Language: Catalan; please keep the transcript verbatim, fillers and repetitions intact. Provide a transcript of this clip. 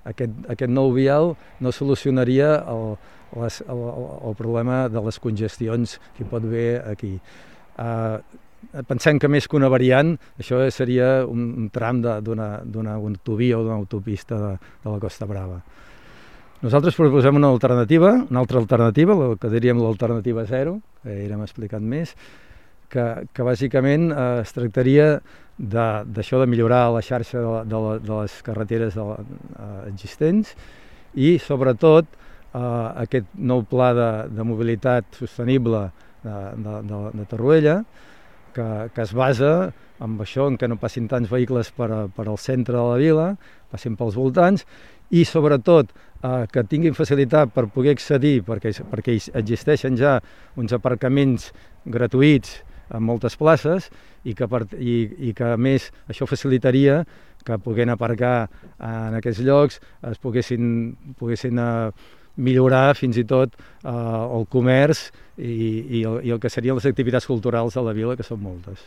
aquest, aquest nou vial no solucionaria el, les, el, el problema de les congestions que hi pot haver aquí. Uh, pensem que més que una variant, això seria un, un tram d'una autovia o d'una autopista de, de la Costa Brava. Nosaltres proposem una alternativa, una altra alternativa, el que diríem l'alternativa zero, que ja hem explicat més, que, que bàsicament eh, es tractaria d'això de, de millorar la xarxa de, de, la, de les carreteres de la, eh, existents i, sobretot, eh, aquest nou pla de, de mobilitat sostenible de, de, de, de Torroella, que, que es basa en això, en què no passin tants vehicles per, a, per al centre de la vila, passin pels voltants, i sobretot eh, que tinguin facilitat per poder accedir, perquè, perquè existeixen ja uns aparcaments gratuïts en moltes places i que, per, i, i que a més això facilitaria que poguent aparcar en aquests llocs es poguessin, poguessin eh, millorar fins i tot eh, el comerç i, i, el, i el que serien les activitats culturals de la vila, que són moltes.